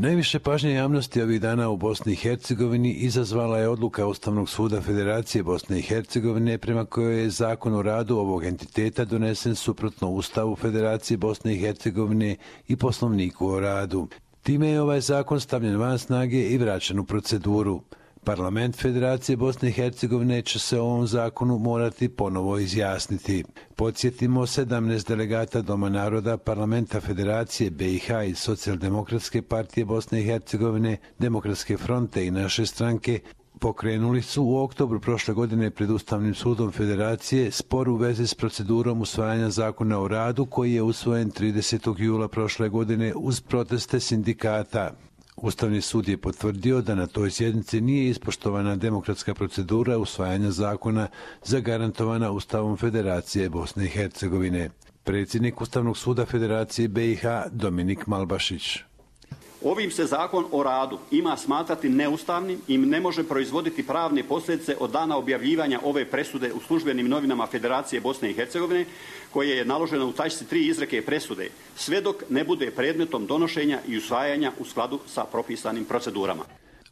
Najviše pažnje javnosti ovih dana u Bosni i Hercegovini izazvala je odluka Ustavnog suda Federacije Bosne i Hercegovine prema kojoj je zakon o radu ovog entiteta donesen suprotno Ustavu Federacije Bosne i Hercegovine i Poslovniku o radu. Time je ovaj zakon stavljen van snage i vraćen u proceduru. Parlament Federacije Bosne i Hercegovine će se o ovom zakonu morati ponovo izjasniti. Podsjetimo, 17 delegata Doma naroda Parlamenta Federacije BiH i Socijaldemokratske partije Bosne i Hercegovine, Demokratske fronte i naše stranke pokrenuli su u oktobru prošle godine pred Ustavnim sudom Federacije spor u vezi s procedurom usvajanja zakona o radu koji je usvojen 30. jula prošle godine uz proteste sindikata. Ustavni sud je potvrdio da na toj sjednici nije ispoštovana demokratska procedura usvajanja zakona zagarantovana Ustavom Federacije Bosne i Hercegovine. Predsjednik Ustavnog suda Federacije BiH Dominik Malbašić. Ovim se zakon o radu ima smatrati neustavnim i ne može proizvoditi pravne posljedice od dana objavljivanja ove presude u službenim novinama Federacije Bosne i Hercegovine, koje je naloženo u tačci 3 izreke presude, sve dok ne bude predmetom donošenja i usvajanja u skladu sa propisanim procedurama.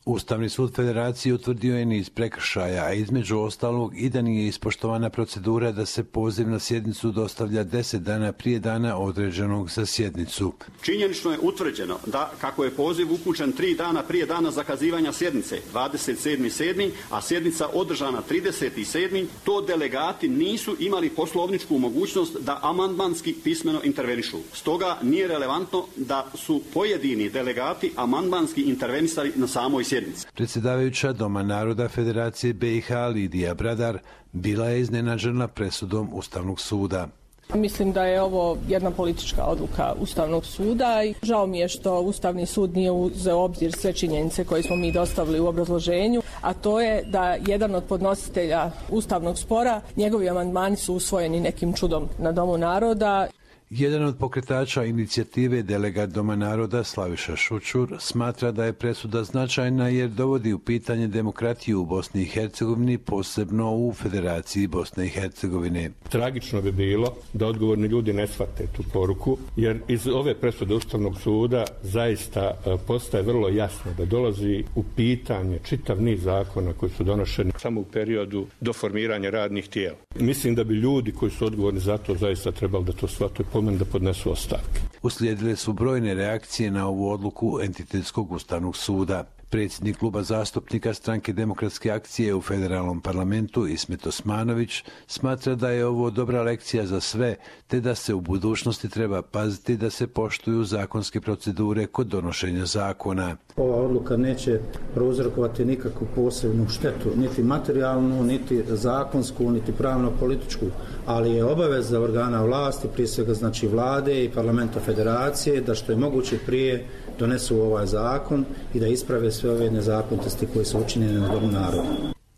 Ustavni sud Federacije utvrdio je niz prekršaja, a između ostalog i da nije ispoštovana procedura da se poziv na sjednicu dostavlja 10 dana prije dana određenog za sjednicu. Činjenično je utvrđeno da, kako je poziv upućen 3 dana prije dana zakazivanja sjednice, 27.7., a sjednica održana 30.7., to delegati nisu imali poslovničku mogućnost da amandmanski pismeno intervenišu. Stoga nije relevantno da su pojedini delegati amandmanski intervenisali na samoj sjednici. Predsjedavajuća Doma naroda Federacije BiH Lidija Bradar bila je iznenađena presudom Ustavnog suda. Mislim da je ovo jedna politička odluka Ustavnog suda i žao mi je što Ustavni sud nije uzeo u obzir sve činjenice koje smo mi dostavili u obrazloženju, a to je da jedan od podnositelja Ustavnog spora, njegovi amandmani su usvojeni nekim čudom na Domu naroda. Jedan od pokretača inicijative delegat Doma naroda Slaviša Šučur smatra da je presuda značajna jer dovodi u pitanje demokratiju u Bosni i Hercegovini, posebno u Federaciji Bosne i Hercegovine. Tragično bi bilo da odgovorni ljudi ne shvate tu poruku, jer iz ove presude Ustavnog suda zaista postaje vrlo jasno da dolazi u pitanje čitav niz zakona koji su donošeni samo u periodu do formiranja radnih tijela. Mislim da bi ljudi koji su odgovorni za to zaista trebali da to shvate, da podnesu ostavke. Uslijedile su brojne reakcije na ovu odluku Entitetskog ustavnog suda. Predsjednik kluba zastupnika Stranke demokratske akcije u federalnom parlamentu Ismet Osmanović smatra da je ovo dobra lekcija za sve, te da se u budućnosti treba paziti da se poštuju zakonske procedure kod donošenja zakona. Ova odluka neće prouzrokovati nikakvu posebnu štetu, niti materijalnu, niti zakonsku, niti pravno-političku, ali je obaveza organa vlasti, prije svega znači vlade i parlamenta federacije, da što je moguće prije donesu ovaj zakon i da isprave sve ove nezakonitosti koje su učinjene na Domu naroda.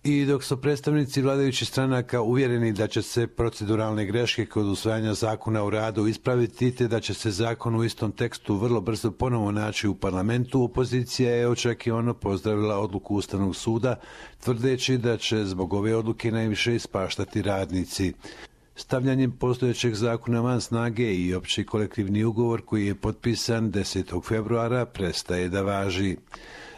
I dok su predstavnici vladajućih stranaka uvjereni da će se proceduralne greške kod usvajanja zakona o radu ispraviti te da će se zakon u istom tekstu vrlo brzo ponovo naći u parlamentu, opozicija je očekivano pozdravila odluku Ustavnog suda, tvrdeći da će zbog ove odluke najviše ispaštati radnici. Stavljanjem postojećeg zakona van snage i opći kolektivni ugovor koji je potpisan 10. februara prestaje da važi.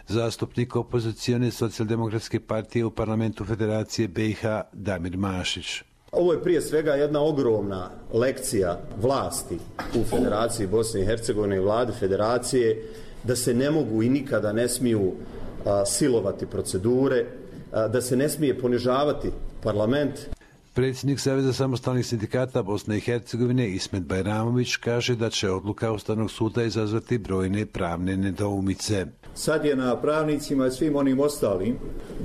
Zastupnik opozicione Socijaldemokratske partije u parlamentu Federacije BiH Damir Mašić. Ovo je prije svega jedna ogromna lekcija vlasti u Federaciji Bosne i Hercegovine i vlade Federacije da se ne mogu i nikada ne smiju silovati procedure, da se ne smije ponižavati parlament. Predsjednik Saveza samostalnih sindikata Bosne i Hercegovine Ismet Bajramović kaže da će odluka Ustavnog suda izazvati brojne pravne nedoumice. Sad je na pravnicima i svim onim ostalim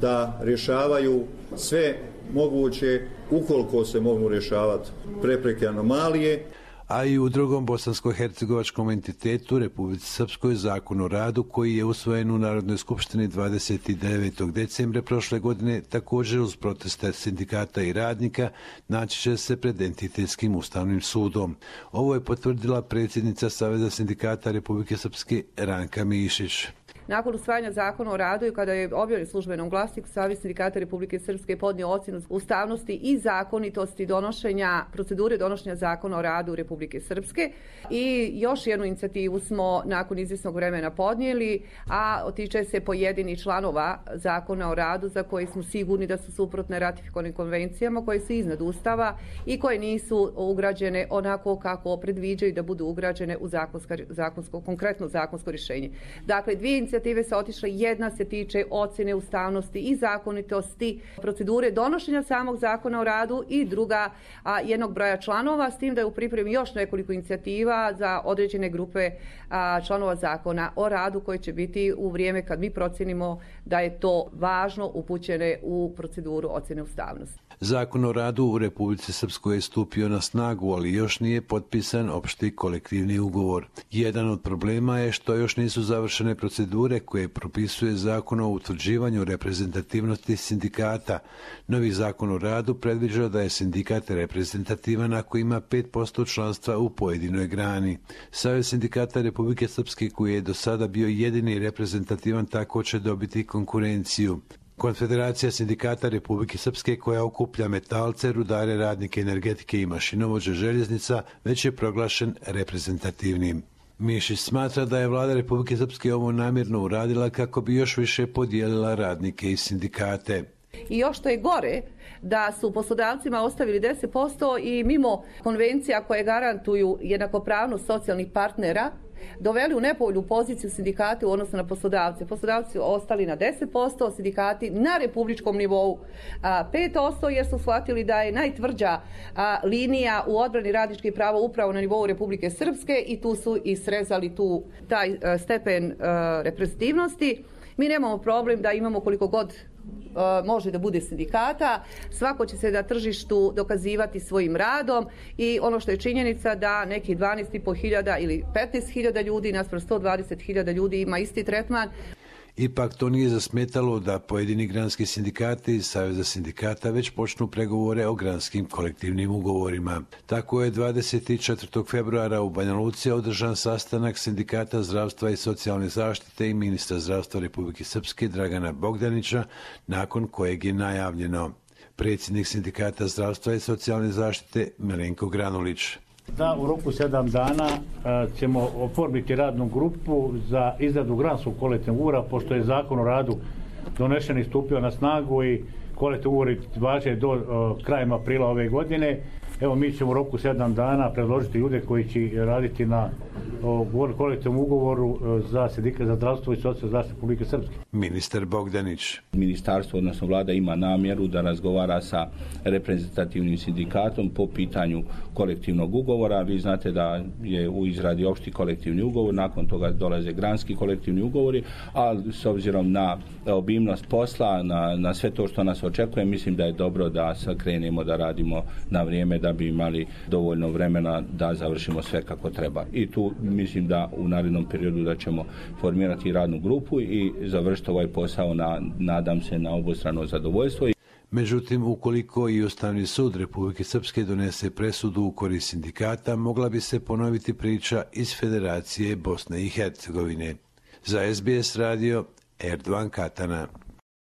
da rješavaju sve moguće, ukoliko se mogu rješavati prepreke, anomalije. A i u drugom bosansko-hercegovačkom entitetu Republici Srpskoj zakon o radu koji je usvojen u Narodnoj skupštini 29. decembra prošle godine također uz proteste sindikata i radnika naći će se pred entitetskim ustavnim sudom. Ovo je potvrdila predsjednica Saveza sindikata Republike Srpske Ranka Mišić. nakon usvajanja zakona o radu i kada je objavljen u službenom glasniku, Savez sindikata Republike Srpske podnio ocjenu ustavnosti i zakonitosti procedure donošenja zakona o radu Republike Srpske. I još jednu inicijativu smo nakon izvjesnog vremena podnijeli, a tiče se pojedinih članova zakona o radu za koje smo sigurni da su suprotne ratifikovanim konvencijama, koje su iznad Ustava i koje nisu ugrađene onako kako predviđaju da budu ugrađene u konkretno zakonsko rješenje. Dakle, dvije inicijative su otišle, jedna se tiče ocjene ustavnosti i zakonitosti procedure donošenja samog zakona o radu i druga jednog broja članova, s tim da je u pripremi još nekoliko inicijativa za određene grupe članova zakona o radu koje će biti u vrijeme kad mi procjenimo da je to važno upućene u proceduru ocjene ustavnosti. Zakon o radu u Republici Srpskoj je stupio na snagu, ali još nije potpisan opšti kolektivni ugovor. Jedan od problema je što još nisu završene procedure koje propisuje Zakon o utvrđivanju reprezentativnosti sindikata. Novi Zakon o radu predviđa da je sindikat reprezentativan ako ima 5% članstva u pojedinoj grani. Savez sindikata Republike Srpske, koji je do sada bio jedini reprezentativan, tako će dobiti konkurenciju. Konfederacija sindikata Republike Srpske, koja okuplja metalce, rudare, radnike energetike i mašinovođe željeznica, već je proglašen reprezentativnim. Mišić smatra da je vlada Republike Srpske ovo namjerno uradila kako bi još više podijelila radnike i sindikate. I još što je gore, da su poslodavcima ostavili 10% i mimo konvencija koje garantuju jednakopravnost socijalnih partnera, doveli u nepovoljnu poziciju sindikate u odnosu na poslodavce. Poslodavci su ostali na 10%, sindikati na republičkom nivou 5%, jer su shvatili da je najtvrđa linija u odbrani radničkih prava upravo na nivou Republike Srpske i tu su i srezali taj stepen reprezentativnosti. Mi nemamo problem da imamo koliko god može da bude sindikata, svako će se na tržištu dokazivati svojim radom i ono što je činjenica da nekih 12.500 ili 15.000 ljudi naspram 120.000 ljudi ima isti tretman. Ipak to nije zasmetalo da pojedini granski sindikati iz Saveza sindikata već počnu pregovore o granskim kolektivnim ugovorima. Tako je 24. februara u Banja Luci održan sastanak sindikata zdravstva i socijalne zaštite i ministra zdravstva Republike Srpske Dragana Bogdanića, nakon kojeg je najavljeno. Predsjednik sindikata zdravstva i socijalne zaštite Milenko Granulić. Da u roku 7 dana ćemo oformiti radnu grupu za izradu granskog kolektivnog ugovora, pošto je Zakon o radu donešen i stupio na snagu i kolektivni ugovori važe do krajem aprila ove godine. Evo, mi ćemo u roku 7 dana predložiti ljude koji će raditi na kolektivnom ugovoru za sindikat za zdravstvo i socijalnu zaštitu Republike Srpske. Ministar Bogdanić. Ministarstvo, odnosno vlada, ima namjeru da razgovara sa reprezentativnim sindikatom po pitanju kolektivnog ugovora. Vi znate da je u izradi opšti kolektivni ugovor, nakon toga dolaze granski kolektivni ugovori, a s obzirom na obimnost posla, na sve to što nas očekuje, mislim da je dobro da krenemo da radimo na vrijeme, da bi imali dovoljno vremena da završimo sve kako treba. I tu mislim da u narednom periodu da ćemo formirati radnu grupu i završiti ovaj posao nadam se na obostrano zadovoljstvo. Međutim, ukoliko i Ustavni sud Republike Srpske donese presudu u korist sindikata, mogla bi se ponoviti priča iz Federacije Bosne i Hercegovine. Za SBS radio, Erdogan Katana.